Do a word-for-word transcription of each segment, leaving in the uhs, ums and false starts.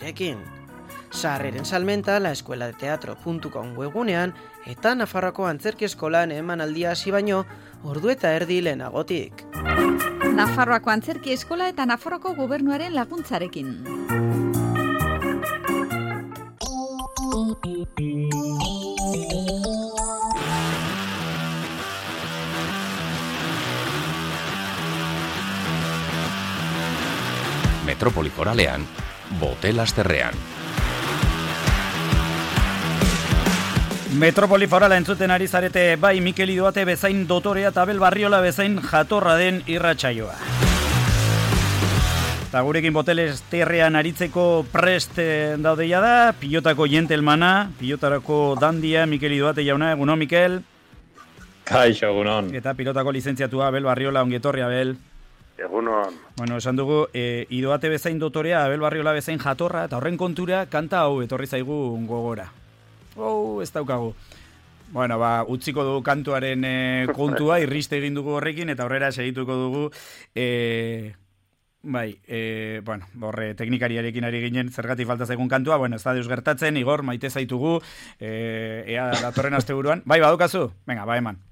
nirekin. Sarreren salmenta laescueladeteatro puntu com webgunean eta Nafarroako Antzerki Eskolan emanaldia hasi baino ordu eta erdi lehenagotik. Nafarroako Antzerki Eskola eta Nafarroako Gobernuaren laguntzarekin. Metropoli Foralean, Bote Lasterrean. Metropoli Forala entzuten ari zarete bai Mikel Idoate bezain dotorea eta Abel Barriola bezain jatorra den irratsaioa. Eta gurekin Bote Lasterrean aritzeko prest daudeia da, pilotako jentelmana, pilotarako dandia, Mikel Idoate jauna, egunon Mikel. Kaixo, egunon. Eta pilotako lizentziatua Abel Barriola, ongietorri Abel. Egunon. Bueno, esan dugu, e, Idoate bezain dotorea, Abel Barriola bezain jatorra, eta horren kontura kanta hau etorri zaigu gogora. Oh, ez daukagu. Bueno, ba, utziko dugu kantuaren e, kontua, irriste egin dugu horrekin, eta horrera segituko dugu, e, bai, e, bueno, horre teknikariarekin ari ginen, zergatik falta zaigun kantua, bueno, ez da deus gertatzen, Igor, maite zaitugu, e, ea datorren asteburuan. Bai, badukazu? Venga, ba, eman.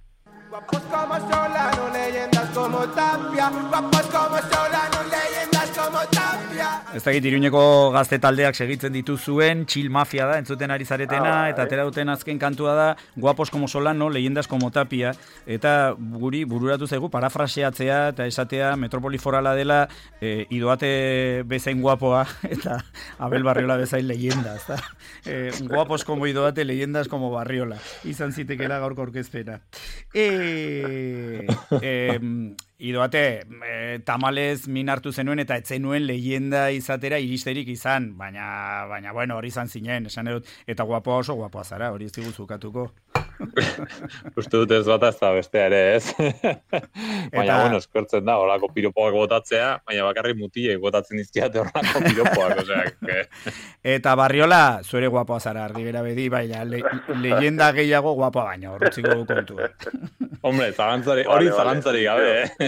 Guapos como Solano, leyendas como Tapia. Guapos como Solano, leyendas como Tapia. Ez dakit Iruñeko gazte taldeak segitzen dituzuen, Chill Mafia da, entzuten ari zaretena, ah, eta atera duten azken kantua da, Guapos como Solano, leyendas como Tapia, eta guri bururatu zaigu parafraseatzea, eta esatea Metropoli Forala dela, e, Idoate bezain guapoa, eta Abel Barriola bezain leyenda, ezta? E, guapos como Idoate, leyendas como Barriola. Izan zitekela gaurko aurkezpena. E, e, Idoate, e, tamalez min hartu zenuen eta etzenuen leyenda izatera iristerik izan, baina, baina bueno, hori izan zinen, esan edut, eta guapoa oso guapoa zara, hori ez digu zukatuko. Uste dut ez bata ez da bestea ere, ez? Baina, eta... bueno, eskertzen da, horako piropoak botatzea, baina bakarri mutiei botatzen izkiate horako piropoak, osea. Que... Eta Barriola, zuere guapoa zara, argi bera bedi, baina le, leyenda gehiago guapoa baina, horretziko kontu. Hombre, zagantzari, hori vale, zagantzari gabe, eh?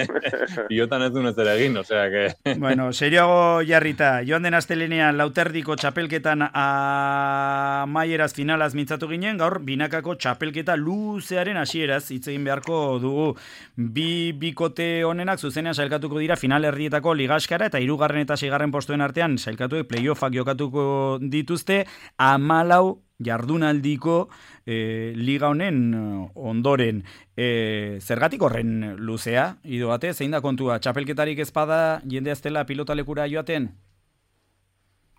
Iotan ez dunez ere egin, osea, que... Bueno, serioago jarrita, joan den astelenean lauterdiko txapelketan amaieraz finalaz mintzatu ginen, gaur binakako txapelketa luzearen hasieraz hitz egin beharko dugu. Bi bikote honenak zuzenean sailkatuko dira final erdietako ligaskara eta hirugarren eta seigarren postuen artean sailkatuek playoffak jokatuko dituzte hamalau jardunaldiko e, liga honen ondoren. E, zergatik horren luzea, Idoate, zein da kontua? Txapelketarik ezpada jende aztela pilotalekura joaten?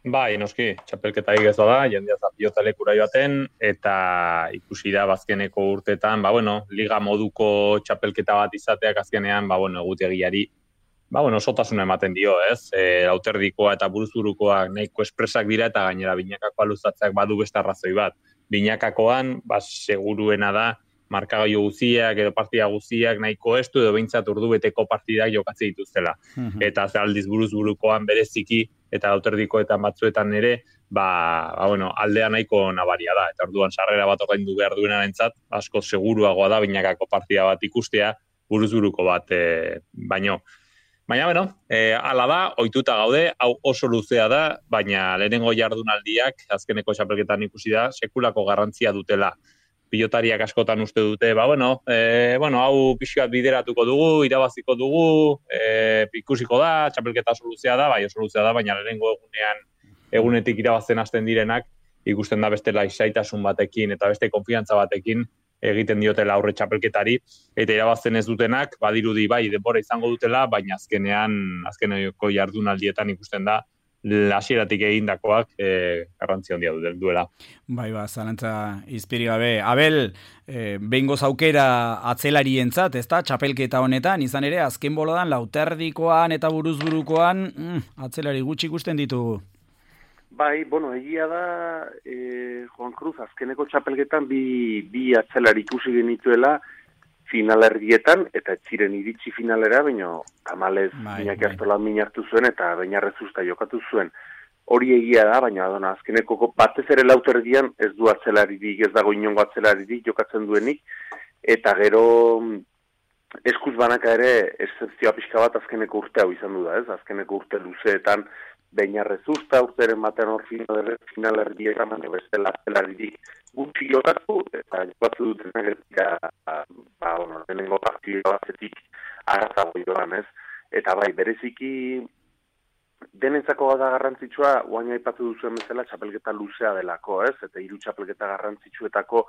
Bai, noski, txapelketarik ez da, jendea za pilotalekura joaten, eta ikusi da bazkeneko urtetan, ba bueno, liga moduko txapelketa bat izateak azkenean, ba bueno, egutegiari ba bueno, sotasuna ematen dio, ez? E, lauterdikoa eta buruzburukoak nahiko espresak dira eta gainera binakakoa luzatzeak badu beste arrazoi bat. Binakakoan, ba seguruena da markagailu guztiak edo partida guztiak nahiko estu edo behintzat ordubeteko partidak jokatzen dituztela. Mm-hmm. Eta aldiz buruzburukoan bereziki eta lauterdikoetan batzuetan ere, ba, ba bueno, aldea nahiko nabaria da. Eta orduan sarrera bat ordaindu behar duenarentzat, asko seguruagoa da binakako partida bat ikustea buruzburuko bat e, baino. Baina, bueno, e, ala da, ohituta gaude, hau oso luzea da, baina lehenengo jardunaldiak, azkeneko txapelketan ikusi da, sekulako garrantzia dutela. Pilotariak askotan uste dute, ba, bueno, e, bueno hau pixkat bideratuko dugu, irabaziko dugu, e, ikusiko da, txapelketa oso luzea da, bai oso luzea da, baina lehenengo egunean, egunetik irabazten hasten direnak, ikusten da beste laisaitasun batekin eta beste konfiantza batekin, egiten diotela aurre txapelketari, eta irabazten ez dutenak, badirudi bai, denbora izango dutela, baina azkenean, azkeneko jardunaldietan ikusten da, hasieratik egindakoak e, garrantzi handia duela. Bai, ba, zalantza izpiri gabe. Abel, e, behingoz aukera atzelarientzat, ezta, txapelketa honetan, izan ere, azken boladan, lauterdikoan eta buruzburukoan, mm, atzelari gutxi ikusten ditugu. Bai, bueno, egia da, e, Juan Cruz, azkeneko txapelketan bi, bi atzelari ikusi genituela finalerdietan, eta ez ziren iritsi finalera, baina tamalez Iñaki Astola min hartu zuen, eta Beñarrezusta jokatu zuen. Hori egia da, baina dona, azkeneko batez ere lauterdian ez du atzelaririk, ez dago inongo atzelaririk jokatzen duenik, eta gero eskuz banaka ere excepzioa pixka bat azkeneko urte hau izan du da, ez? Azkeneko urte luzeetan Beñarrezusta urteren batean hor finalerdietan, baina bestela zelaririk gutxi jokatu, eta jokatu dutenak ba, bueno, denengo partidua batetik aratago joan, ez? Eta bai, bereziki denentzako da garrantzitsua, guaina aipatu duzuen bezala, txapelketa luzea delako, ez? Eta hiru txapelketa garrantzitsuetako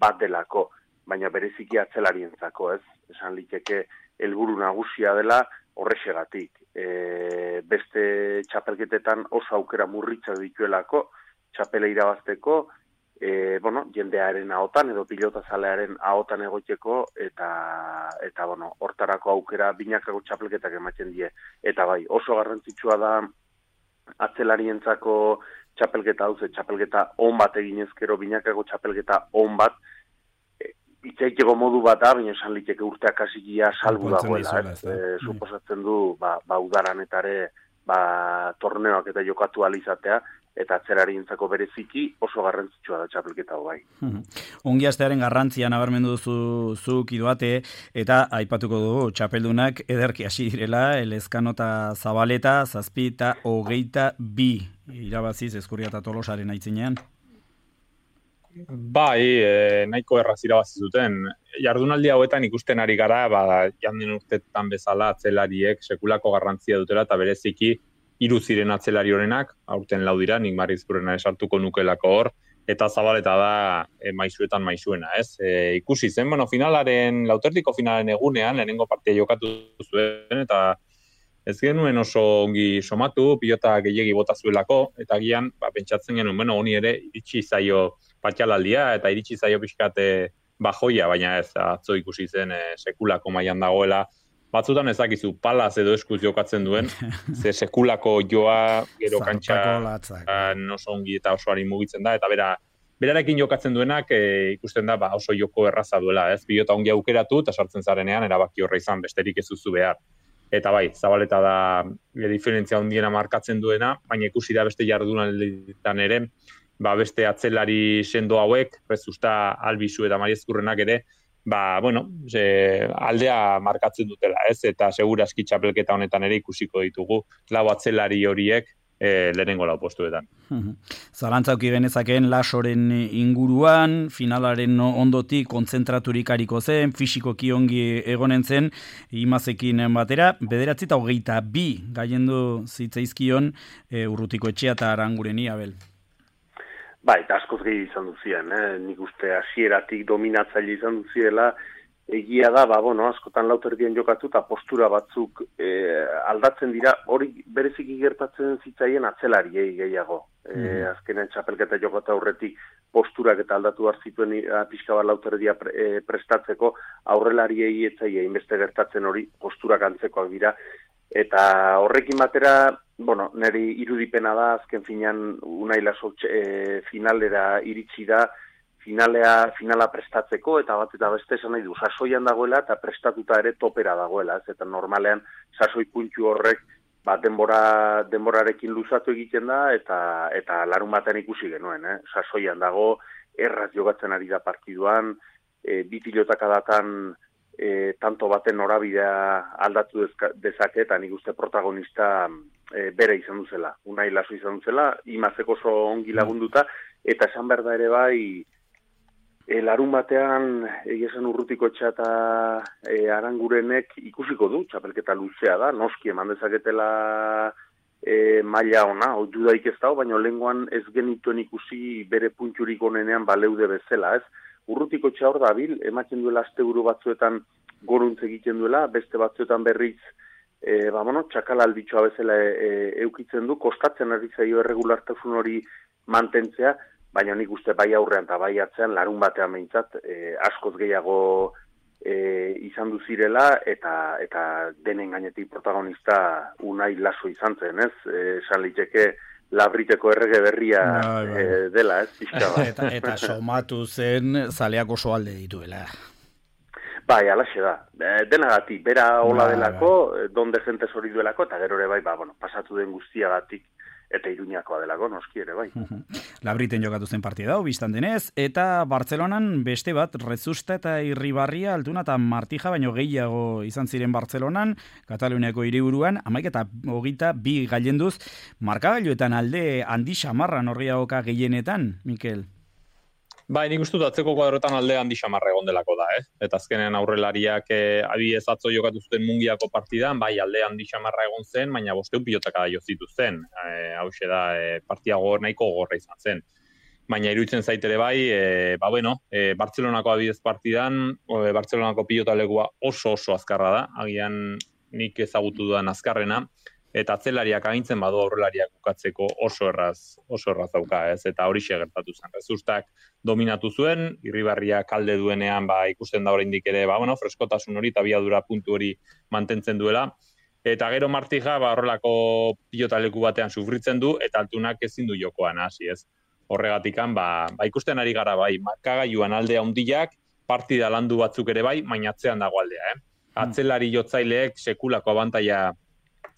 bat delako, baina bereziki atzelarientzako, ez? Esan liteke helburu nagusia dela horrexegatik. E, beste txapelketetan oso aukera murritza dituelako, txapela irabazteko, e, bueno, jendearen ahotan edo pilotazalearen ahotan egoteko, eta, eta bueno, hortarako aukera binakako txapelketak ematen die. Eta bai, oso garrantzitsua da atzelarientzako txapelketa hau, ze txapelketa on bat eginezkero, binakako txapelketa on bat, itxaiteko modu bat da, baina esan liteke urteak hasikia salbu dagoela, ez? E, suposatzen du, ba, ba udaranetare, ba, torneoak eta jokatu alizatea, eta atzerarientzako bereziki oso garrantzitsua da txapelketa hau bai. Ongi astearen garrantzia nabarmendu duzu zuk Idoate, eta aipatuko dugu txapeldunak ederki hasi direla, Elezkano eta Zabaleta, zazpi eta hogeita bi irabaziz Ezkurria eta Tolosaren aitzinean. Bai, e, nahiko erraz irabazi zuten. Jardunaldi hauetan ikusten ari gara, ba, jandien urtetan bezala atzelariek sekulako garrantzia dutela, eta bereziki hiru ziren atzelari horenak, aurten lau dira, nik Marizkurrena esartuko nukelako hor, eta Zabaleta da e, maisuetan maisuena, ez? E, ikusi zen, bueno, finalaren, lauterdiko finalaren egunean, lehenengo partia jokatu zuen, eta ez genuen oso ongi somatu, pilota gehiegi bota zuelako, eta gian, ba, pentsatzen genuen, bueno, honi ere, iritsi zaio patxalaldia, eta iritsi zaio pixkate bajoia, baina ez, atzo ikusi zen e, sekulako mailan dagoela. Batzutan ezakizu palaz edo eskuz jokatzen duen, ze sekulako joa, gero kantxa oso ongi eta osoari mugitzen da, eta bera, berarekin jokatzen duenak e, ikusten da ba, oso joko erraza duela, ez? Pilota ongi aukeratu, eta sartzen zarenean, erabaki horra izan, besterik ez duzu behar. Eta bai, Zabaleta da e, diferentzia handiena markatzen duena, baina ikusi da beste jardunalditan ere, ba, beste atzelari sendo hauek, Rezusta, Albizu eta Mariezkurrenak ere, ba, bueno, ze, aldea markatzen dutela, ez? Eta seguraski txapelketa honetan ere ikusiko ditugu, lau atzelari horiek e, lehenengo lau postuetan. Zalantzauki genezakeen Lasoren inguruan, finalaren ondotik kontzentraturik ariko zen, fisikoki ongi egonen zen, Imazekin batera, bederatzi eta hogeita bi gaiendu zitzaizkion e, Urrutiko Etxea eta Arangureni, Abel. Ba, eta askoz gehi izan duzien, eh? Nik uste hasieratik dominatzaile izan duziela, egia da, ba, bueno, askotan lauterdien jokatu eta postura batzuk eh, aldatzen dira, hori bereziki gertatzen zitzaien atzelariei gehiago. Mm. Eh, azkenean txapelketa jokatu aurretik posturak eta aldatu behar zituen pixka bat lauterdia pre, eh, prestatzeko, aurrelariei etzaia inbeste gertatzen hori posturak antzekoak dira, eta horrekin batera, bueno, niri irudipena da, azken finean Unai Laso e, finalera iritsi da, finalea, finala prestatzeko, eta bat eta beste esan nahi du, sasoian dagoela eta prestatuta ere topera dagoela, ez? Eta normalean sasoi puntu horrek ba, denbora, denborarekin luzatu egiten da, eta, eta larun batean ikusi genuen, eh? Sasoian dago, erraz jogatzen ari da partiduan, e, bi pilotak adatan, E, tanto baten norabidea aldatu dezake, eta nik uste protagonista e, bere izan duzela, Unai Laso izan duzela, Imazeko oso ongi lagunduta, eta esan behar da ere bai, e, larun batean, egizan Urrutiko Etxea eta e, Arangurenek ikusiko du, txapelketa luzea da, noski eman dezaketela e, maila ona, oitu daik ez dago, baina lehengoan ez genituen ikusi bere punturik onenean baleude bezala, ez? Urrutiko Etxea hor dabil, ematen duela asteburu batzuetan goruntz egiten duela, beste batzuetan berriz, e, ba, bueno, txakala albitxoa bezala e, e, eukitzen du, kostatzen ari zaio erregulartasun hori mantentzea, baina nik uste bai aurrean eta bai atzean, larun batean behintzat, e, askoz gehiago e, izan duzirela, eta, eta denen gainetik protagonista Unai Laso izan zen, ez? Esan liteke, Labriteko errege berria bai, bai. E, dela, ez, pixka bat. eta, eta somatu zen zaleak oso alde dituela. Bai, alaxe da. E, denagatik, bera hola bai, delako, bai. Donde jentes hori duelako, eta gero ere bai, ba, bueno, pasatu den guztiagatik eta Iruñakoa delako, noski ere, bai. Labriten jokatu zen partida hau, biztan denez, eta Bartzelonan beste bat, Rezusta eta Irribarria, Altuna eta Martija, baino gehiago izan ziren Bartzelonan, Kataluniako hiriburuan, hamaik eta hogeita bi gailenduz, markagailuetan alde handi xamarra norgeagoka gehienetan, Mikel? Bai, nik uste dut atzeko kuadrotan alde handi xamarra egon delako da, eh? Eta azkenen aurrelariak eh, abi ezatzo jokatu zuten Mungiako partidan, bai alde handi xamarra egon zen, baina bosteun pilotaka da jozitu zen. Eh, hauxe da, eh, partia gogor nahiko gogorra izan zen. Baina iruditzen zaitere bai, eh, ba bueno, eh, Bartzelonako abidez partidan, eh, Bartzelonako pilotalegua oso oso azkarra da, agian nik ezagutu dudan azkarrena, eta atzelariak agintzen badu aurrelariak bukatzeko oso erraz, oso erraz dauka, ez? Eta horixe gertatu zen. Rezustak dominatu zuen, Irribarria kalde duenean ba ikusten da oraindik ere, ba bueno, freskotasun hori eta abiadura puntu hori mantentzen duela. Eta gero Martija ba horrelako pilotaleku batean sufritzen du eta Altunak ezin du jokoan hasi, ez? Horregatikan ba, ba ikusten ari gara bai, markagailuan alde handiak, partida landu batzuk ere bai, baina atzean dago aldea, eh? Atzelari jotzaileek sekulako abantaila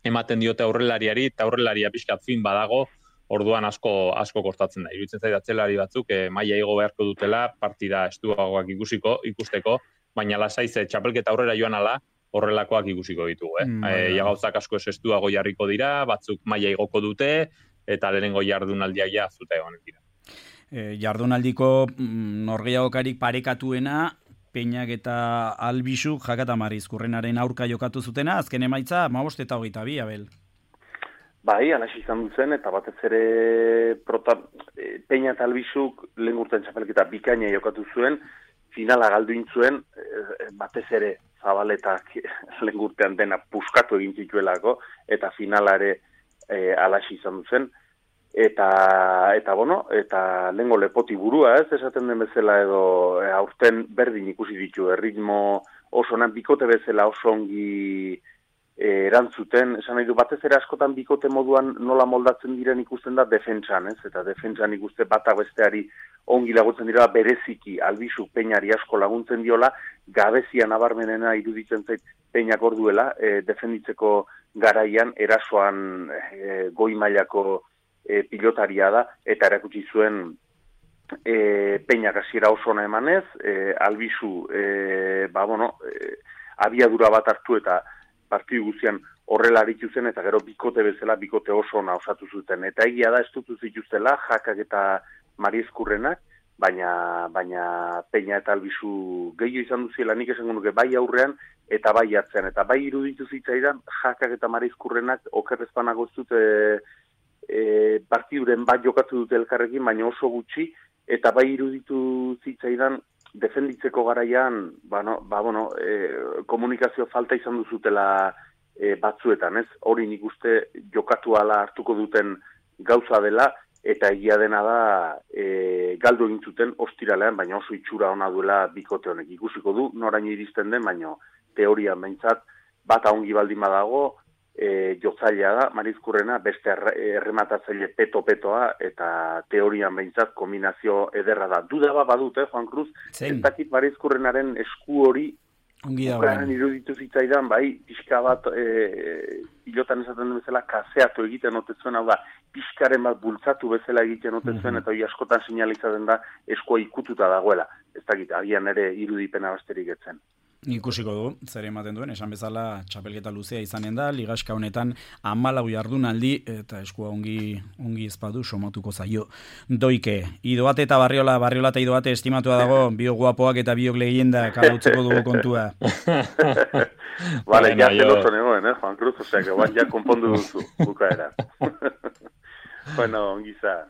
ematen diote aurrelariari, eta aurrelaria pixkat fin badago, orduan asko asko kostatzen da. Iruditzen zait atzelari batzuk eh, maila igo beharko dutela, partida estuagoak ikusiko, ikusteko, baina lasai ze txapelketa aurrera joan ala, horrelakoak ikusiko ditugu, eh. Mm, e, ja gauzak asko ez estuago jarriko dira, batzuk maila igoko dute, eta lehenengo jardunaldiak ja zute egon dira. E, jardunaldiko mm, norgeagokarik parekatuena, Peñak eta Albisuk Jakata Marizkurrenaren aurka jokatu zutena, azken emaitza hamabost eta hogeita bi, Abel. Bai, alaxi izan duzen, eta batez ere prota, e, Peña eta Albisuk lehen urtean txapelketa bikaina jokatu zuen, finala galdu intzuen, e, batez ere Zabaletak lehen urtean dena puskatu egin zituelako, eta finalare e, alaxi izan duzen. Eta, eta, bueno, eta lengo lepoti burua, ez, esaten den bezala edo e, aurten berdin ikusi ditu, erritmo oso nan bikote bezala oso ongi e, erantzuten, esan nahi du, batez ere askotan bikote moduan nola moldatzen diren ikusten da defentsan, ez, eta defentsan ikuste batak besteari ongi laguntzen dira, bereziki Albisu Peñari asko laguntzen diola, gabezia nabarmenena iruditzen zait Peñak orduela, e, defenditzeko garaian, erasoan e, goi mailako E, pilotaria da, eta erakutsi zuen e, Peñak hasiera oso ona emanez, e, Albisu e, ba, bueno, e, abiadura bat hartu eta partidu guztian horrela aritu zen, eta gero bikote bezala, bikote oso ona osatu zuten. Eta egia da, estutu zituztela, Jakak eta Marizkurrenak, baina, baina Peña eta Albisu gehiago izan duziela, nik esango nuke bai aurrean, eta bai atzean, eta bai iruditu zitzaidan, Jakak eta Marizkurrenak okerrezpanago ez dute E, partiduren bat jokatu dute elkarrekin, baina oso gutxi, eta bai iruditu zitzaidan defenditzeko garaian, ba, no, ba, bueno, e, komunikazio falta izan duzutela e, batzuetan, ez? Hori nik uste jokatu ala hartuko duten gauza dela, eta egia dena da e, galdu egin zuten ostiralean, baina oso itxura ona duela bikote honek. Ikusiko du, noraino iristen den, baina teorian behintzat, bata ongi baldin badago, E, jotzailea da, Marizkurrena, beste errematatzaile peto-petoa, eta teorian behintzat kombinazio ederra da. Duda bat badut, eh, Juan Cruz, ez dakit Marizkurrenaren esku hori ukaren iruditu zitzaidan, bai, pixka bat, e, pilotan esaten den bezala, kaseatu egiten otetzuen, hau da, pixkaren bat bultzatu bezala egiten otetzuen, eta hori askotan sinalizaten da, eskua ikututa dagoela. Ez dakit, agian ere irudipena basterik etzen. Ikusiko du, zer ematen duen, esan bezala txapelketa luzea izanen da, ligaska honetan hamalau jardunaldi eta eskua ongi ongi ezpadu somatuko zaio. Doike, Idoate eta Barriola, Barriola eta Idoate estimatua dago, bio guapoak eta biok leyenda kalautzeko dugu kontua. Vale, ya te lo sonegoen, eh, Juan Cruz, osea, que guan ja konpondu duzu, bukaera. Bueno, ongi za.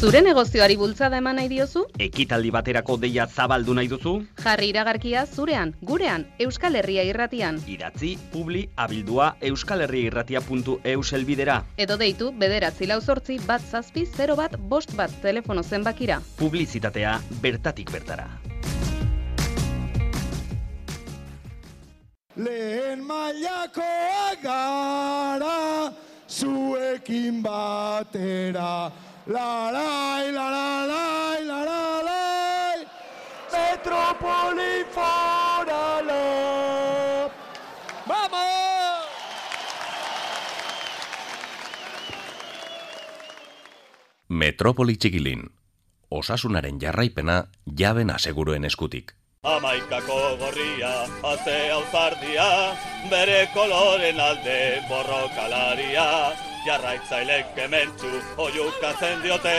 Zure negozioari bultzada eman nahi diozu? Ekitaldi baterako deia zabaldu nahi duzu? Jarri iragarkia zurean, gurean, Euskal Herria Irratian. Idatzi, publi, abildua, euskalherriairratia puntu eus elbidera. Edo deitu, bederatzi lau zortzi, bat zazpi, zero bat, bost bat, telefono zenbakira. Publizitatea bertatik bertara. Lehen mailakoak gara, zuekin batera. La la la la la la la la Metrópoli Forala. ¡Vamos! Metropoli Txikilin. Osasunaren jarraipena jaben aseguruen eskutik. Amaikako gorria, atzea uzardia, bere koloren alde borrokalaria, jarraitzailek kementsu oiukatzen diote,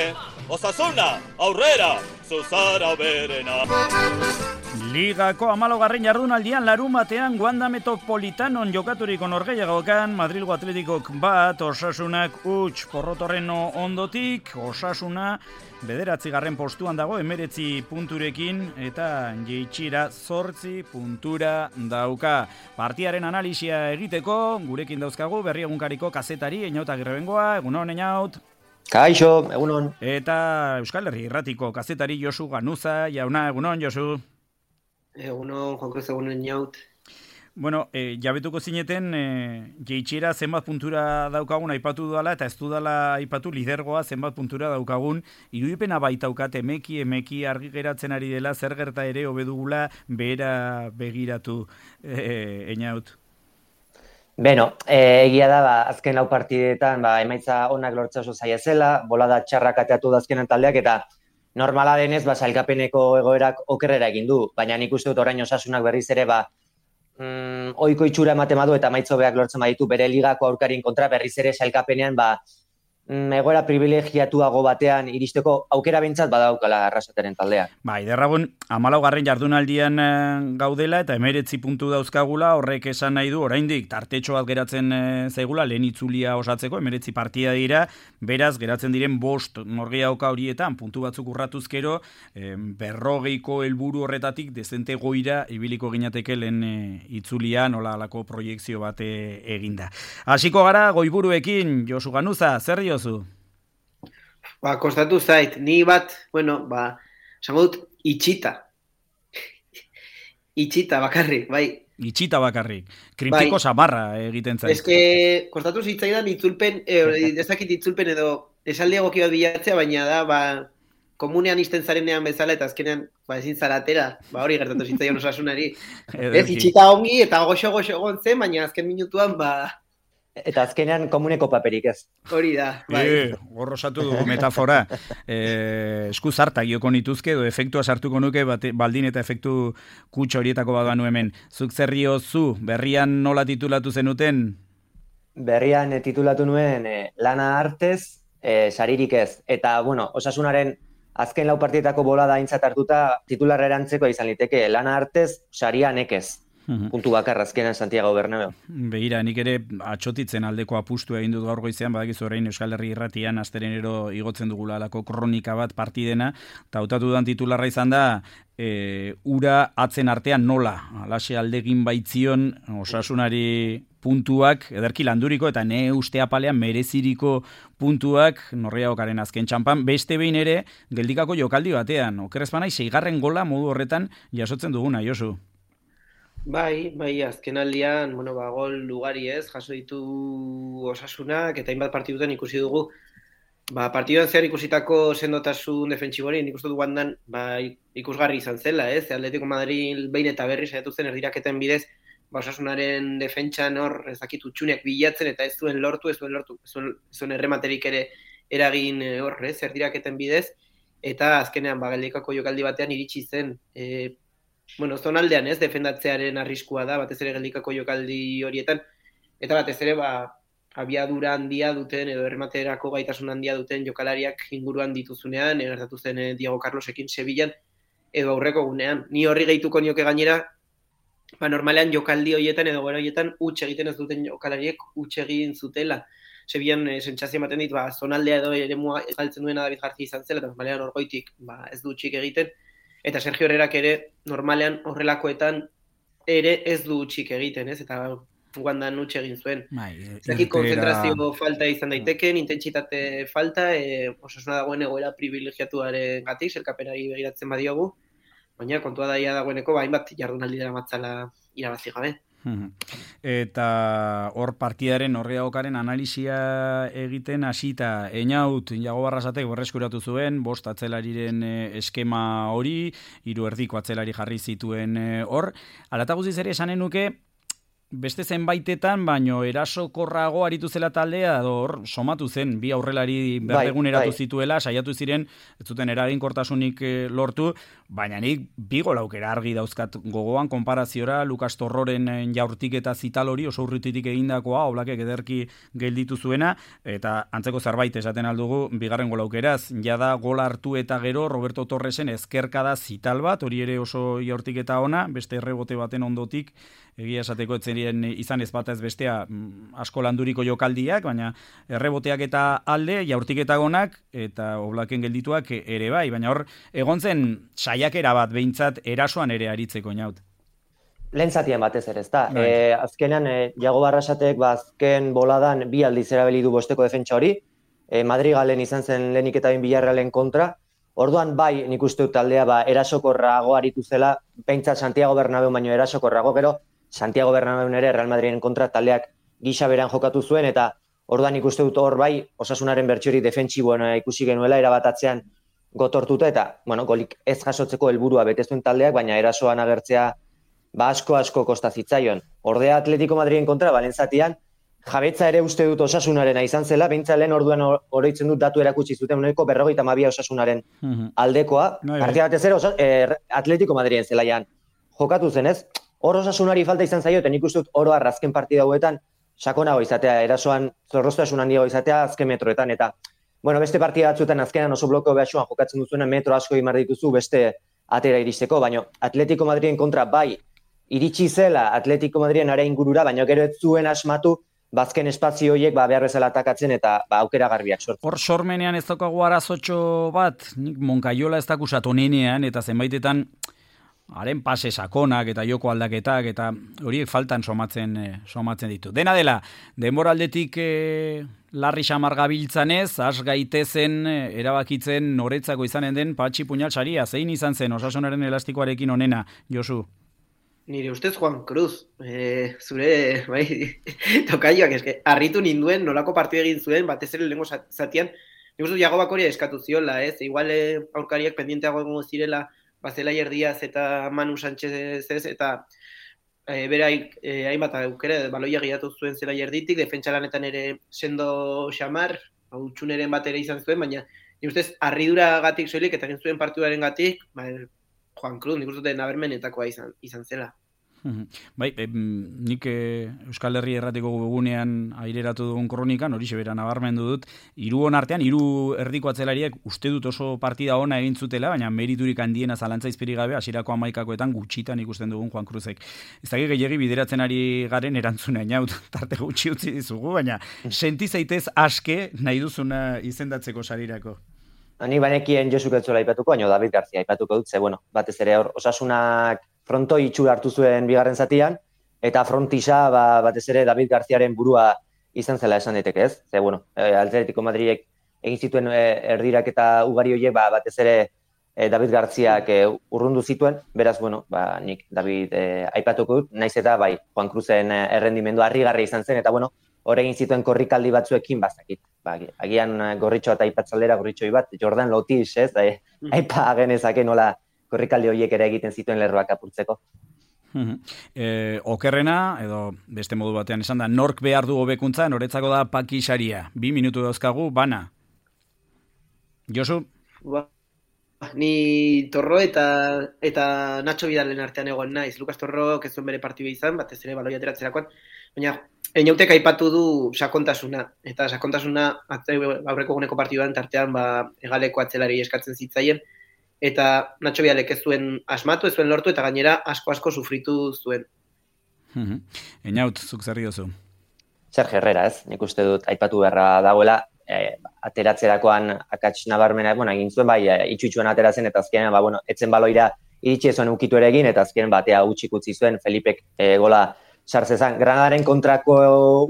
Osasuna, aurrera, zuzara berena. Ligako hamalaugarren jardunaldian larun batean Wanda Metropolitanon jokaturiko norgehiagokan Madrilgo Atletikok bat, Osasunak huts porrotorren ondotik, Osasuna bederatzigarren postuan dago emeretzi punturekin eta jeitxira zortzi puntura dauka. Partiaren analisia egiteko gurekin dauzkagu berri egunkariko kazetari Einaut Agirrebengoa, egunon Einaut. Kaixo, egunon. Eta Euskal Herri Irratiko kazetari Josu Ganuza, jauna, egunon Josu. Egunon, Juan Cruz, egunon Einaut. Bueno, e, jabetuko zineten, e, jeitxera zenbat puntura daukagun aipatu dudala, eta ez dudala aipatu lidergoa zenbat puntura daukagun, irudipena baitaukat emeki, emeki argi geratzen ari dela, zer gerta ere hobedugula behera begiratu, e, Einaut. Beno, e, egia da, ba, azken lau partidetan, ba, emaitza onak lortza oso zaila zela, bolada txarrak ateatu da azkenan taldeak, eta normala denez, ba, sailkapeneko egoerak okerrera egin du, baina nik uste dut orain Osasunak berriz ere, ba, mm, oiko itxura ematen badu eta emaitza hobeak lortzen baditu bere ligako aurkarien kontra berriz ere sailkapenean, ba, mm, egoera privilegiatuago batean iristeko aukera bintzat badaukala Arrasateren taldea. Bai, derragun, hamalaugarren jardunaldian gaudela eta emeretzi puntu dauzkagula, horrek esan nahi du, oraindik tartetxo bat geratzen zaigula, lehen itzulia osatzeko, emeretzi partida dira, beraz, geratzen diren bost norgehiagoka horietan, puntu batzuk urratuzkero, eh, berrogeiko helburu horretatik dezente goira ibiliko ginateke lehen eh, itzulia, nola alako proiekzio bat eh, eginda. Hasiko gara, goiburuekin, Josu Ganuza, zer diozu? Ba, kostatu zait, ni bat, bueno, ba, esango dut, itxita. Itxita bakarrik, bai. Itxita bakarrik. Kritiko samarra egiten zait. Ez que, kostatu zitzaidan itzulpen, eh, ezakit itzulpen edo esaldi egoki bat bilatzea, baina da, ba, komunean izten zarenean bezala, eta azkenean, ba, ezin zaratera, ba, hori gertatu zitzaidan Osasunari. Ez, itxita ongi, eta goxo-goxo egon zen, baina azken minutuan, ba, eta azkenean komuneko paperik ez. Hori da, bai. E, gorrosatu dugu metafora. E, esku zartak joko nituzke, edo efektua sartuko nuke, bate, baldin eta efektu kutxo horietako bat banu hemen. Zuk zerrio zu, berrian nola titulatu zenuten? Berrian e, titulatu nuen e, lana artez, e, saririk ez. Eta, bueno, Osasunaren azken lau partietako bolada aintzat hartuta titularra erantzeko izan liteke lana artez, saria nekez. Puntu bakarra azkenan Santiago Bernabeu. Begira, nik ere atxotitzen aldeko apustu egin dut gaur goizean, badakizu orain Euskal Herri Irratian asterenero igotzen dugula alako kronika bat partidena, eta hautatu dan titularra izan da, e, ura atzen artean nola, alaxe aldegin baitzion Osasunari puntuak, ederki landuriko eta ne uste apalean mereziriko puntuak norgehiagokaren azken txampan, beste behin ere geldikako jokaldi batean, okerrezpanai seigarren gola modu horretan jasotzen duguna, Josu. Bai, bai, azken aldian, bueno, ba, gol ugari ez, jaso ditu Osasunak, eta hainbat partidutan ikusi dugu, ba, partiduan zehar ikusitako sendotasun defentsibori, nik uste du Wandan, ba, ikusgarri izan zela, ez, Atletico Madrid behin eta berri saiatu zen erdiraketen bidez, ba, Osasunaren defentsan hor, ez dakit utxuneak bilatzen, eta ez zuen lortu, ez zuen lortu, ez zuen, ez zuen errematerik ere eragin hor, ez, erdiraketen bidez, eta azkenean, ba, geldikako jokaldi batean iritsi zen, e, bueno, zonaldean ez, defendatzearen arriskua da, batez ere geldikako jokaldi horietan, eta batez ere, ba, abiadura handia duten, edo errematerako gaitasun handia duten jokalariak inguruan dituzunean, gertatu zen eh, Diego Carlosekin Sevillan, edo aurreko gunean. Ni horri gehituko nioke gainera, ba, normalean jokaldi horietan, edo gara horietan, huts egiten ez duten jokalariek huts egin zutela. Sevillan eh, sentsazio ematen dit, ba, zonaldea edo eremua galtzen duena David García izan zela, eta normalean orgoitik, ba, ez du hutsik egiten, eta Sergio Herrerak ere normalean horrelakoetan ere ez du utxik egiten, ez? Eta Wandan utxe egin zuen. Zaki konzentrazio falta izan daiteken, intentsitate falta, e, Osasuna dagoen egoera privilegiatuaren gatik, selkapenari begiratzen badiogu, baina kontua daia dagoeneko, ba, hainbat jardunaldi dara matzala irabazi gabe. Eta hor partidaren norgehiagokaren analisia egiten hasita Einaut Iago Barrasatek berreskuratu zuen bost atzelariren eskema hori, hiru erdiko atzelari jarri zituen hor. Hala eta guztiz ere esanen nuke beste zenbaitetan, baino erasokorrago aritu zela taldea, hor somatu zen, bi aurrelari berdeguneratu bai. zituela, saiatu ziren, ez zuten eraginkortasunik eh, lortu, baina nik bi gol aukera argi dauzkat gogoan, konparaziora, Lukas Torroren jaurtik eta zital hori, oso urrutitik egindakoa, Oblakek ederki gelditu zuena, eta antzeko zerbait esaten aldugu, bigarren gol aukeraz, jada gol hartu eta gero, Roberto Torresen ezkerkada zital bat, hori ere oso jaurtik eta ona, beste errebote baten ondotik, egia esateko etzerien izan ez bat ez bestea asko landuriko jokaldiak, baina erreboteak eta alde, jaurtik eta gonak, eta Oblaken geldituak ere bai, baina hor, egon zen saiakera bat behintzat erasoan ere aritzeko inaut. Lehen zatian batez ere, ezta. E, azkenean, e, Jago Barrasatek ba, azken boladan bi aldiz erabili du bosteko defentsa hori, e, Madrigalen izan zen lehenik eta bain Villarrealen kontra, orduan bai, nik uste dut taldea ba, erasokorrago aritu zela, behintzat Santiago Bernabeu baino erasokorrago, gero Santiago Bernabeu ere Real Madriden kontra taldeak gisa beran jokatu zuen, eta orduan nik uste dut hor bai, Osasunaren bertxori defentsiboena ikusi genuela, erabatatzean gotortuta, eta bueno, golik ez jasotzeko helburua betezuen taldeak, baina erasoan agertzea ba asko asko kosta zitzaion. Ordea Atletico Madriden kontra, balentzatian, jabetza ere uste dut Osasunarena izan zela, behintzat lehen orduan oroitzen dut datu erakutsi zuten uneko berrogeita hamabia Osasunaren aldekoa, partida batez ere eh, Atletico Madriden zelaian jokatu zen ez, hor Osasunari falta izan zaio, eta nik uste dut oro arrazken partida hauetan sakonago izatea, erasoan zorroztasun handiago izatea azken metroetan, eta bueno, beste partida batzuetan azkenan oso blokeo behatsuan jokatzen duzuena metro asko imar dituzu beste atera iristeko, baina Atletico Madriden kontra bai iritsi zela Atletico Madriden are ingurura, baina gero ez zuen asmatu bazken espazio horiek ba, behar bezala atakatzen eta ba, aukera garbiak sortzen. Hor sormenean ez daukagu arazotxo bat, nik Monkaiola ez dakusat onenean, eta zenbaitetan haren pase sakonak eta joko aldaketak, eta horiek faltan somatzen, eh, somatzen ditu. Dena dela, denboraldetik eh, larri xamar gabiltzanez, has gaitezen eh, erabakitzen noretzako izanen den Patxi Puñal saria, zein izan zen Osasunaren elastikoarekin onena, Josu? Nire ustez Juan Cruz, e, zure, bai, tokaioak, eske, harritu ninduen nolako partidu egin zuen, batez ere lehengo zatian, nik uste Jago Bakoria eskatu ziola, ez, igual aurkariak pendienteago egongo zirela, Bazelaier Díaz eta Manu Sánchez ez, eta e, beraik e, hainbat aukera, baloia gehiatu zuen Zelaier ditik, defentsa lanetan ere sendo xamar, hutsuneren bat ere izan zuen, baina nik ustez harridura gatik soilik eta egin zuen partiduaren gatik, ba, Juan Cruz, nik uste nabarmenetakoa izan, izan zela. Bai, e, nik e, Euskal Herri erratiko webgunean aireratu dugun kronikan, hori sebera nabarmendu dut, hiru on artean, hiru erdiko atzelariak uste dut oso partida ona egin zutela, baina meriturik handiena zalantza izpiri gabe, hasierako hamaikakoetan gutxitan ikusten dugun Juan Cruzek. Ez dakit gehiagi bideratzen ari garen erantzuna inaut, tarte gutxi utzi dizugu, baina senti zaitez aske nahi duzuna izendatzeko sarirako. Ni banekien Josu Ketzola aipatuko, baina David García aipatuko dut, ze, bueno, batez ere hor, Osasunak frontoi itxura hartu zuen bigarren zatian, eta frontisa ba, batez ere David Garziaren burua izan zela esan daiteke, ez? Ze, bueno, Atletico Madridek egin zituen erdirak eta ugari horiek ba, batez ere e, David Garziak e, urrundu zituen, beraz, bueno, ba, nik David e, aipatuko dut, naiz eta bai, Juan Cruzen errendimendu harrigarri izan zen, eta bueno, hor egin zituen korrikaldi batzuekin bazakit. Ba, agian gorritxo eta aipatzaldera gorritxoi bat, Jordan Lotis, ez? Da, aipa genezake nola korrikaldi horiek ere egiten zituen lerroak apurtzeko. E, okerrena, edo beste modu batean esan da, nork behar du hobekuntza, noretzako da Paki Saria. Bi minutu dauzkagu, bana. Josu? Ba, ni Torro eta eta Nacho Vidalen artean egon naiz. Lukas Torro ez zuen bere partidu izan, batez ere baloi ateratzerakoan, baina Einautek aipatu du sakontasuna, eta sakontasuna aurreko guneko partiduan tartean ba, egaleko atzelari eskatzen zitzaien, eta Nacho Vidalek ez zuen asmatu, ez zuen lortu, eta gainera asko-asko sufritu zuen. Einaut, zuk zerri dozu? Sergio Herrera, ez? Nik uste dut aipatu beharra dagoela, e, ateratzerakoan akats nabarmena, bueno, egin zuen, bai, itxutxuan ateratzen, eta azkenean, ba, bueno, etzen baloira iritsi zuen ukitu ere egin, eta azkenean batea utxik utzi zuen, Felipek e, gola sartzezan. Granadaren kontrako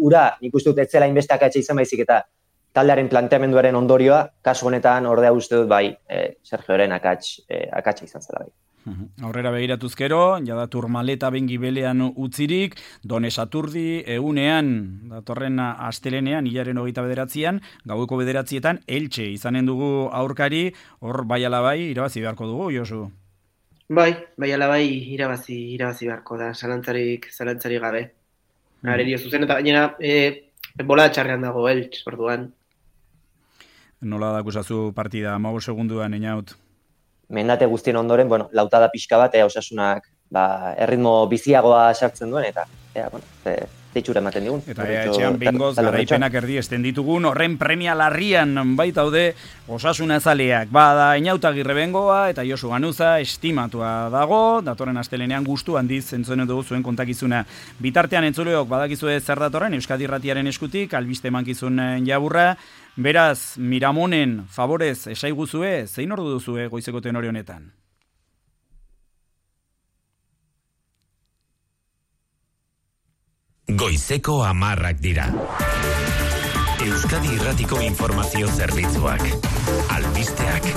ura, nik uste dut etzela inbeste akatsa izan baizik, eta taldearen planteamenduaren ondorioa, kasu honetan ordea uste dut bai, e, Sergioren akats, e, akatsa izan zela bai. Aurrera begiratuzkero, jada Turmaleta bengibelean utzirik, Done Saturdi, egunean, datorren astelenean, hilaren hogeita bederatzian, gaueko bederatzietan, Elche izanen dugu aurkari, hor bai ala bai, irabazi beharko dugu, Josu? Bai, bai ala bai, irabazi, irabazi beharko da, zalantzarik, zalantzarik gabe. Mm. Arerio zuzen, eta gainera, e, bola txarrean dago, Eltz, orduan. Nola da kusazu partida, amago segunduan, Einaut? Mendate guztien ondoren, bueno, lautada pixka bat, ea Osasunak, ba, erritmo biziagoa sartzen duen, eta, ea, bueno, e, teitxura ematen digun. Eta ea, etxean bingoz, garaipenak erdi esten ditugun, horren premia larrian baitaude Osasuna zaleak. Bada, Einaut Agirre bengoa eta Josu Ganuza estimatua dago, datorren astelenean gustu handiz entzuen dugu zuen kontakizuna. Bitartean entzuleok badakizue zer datorren Euskadi Irratiaren eskutik, albiste emankizun jaburra. Beraz, Miramonen favorez esaiguzue, zein ordu duzue goizeko tenore honetan? Goizeko hamarrak dira. Euskadi Irratiko informazio zerbitzuak. Albisteak.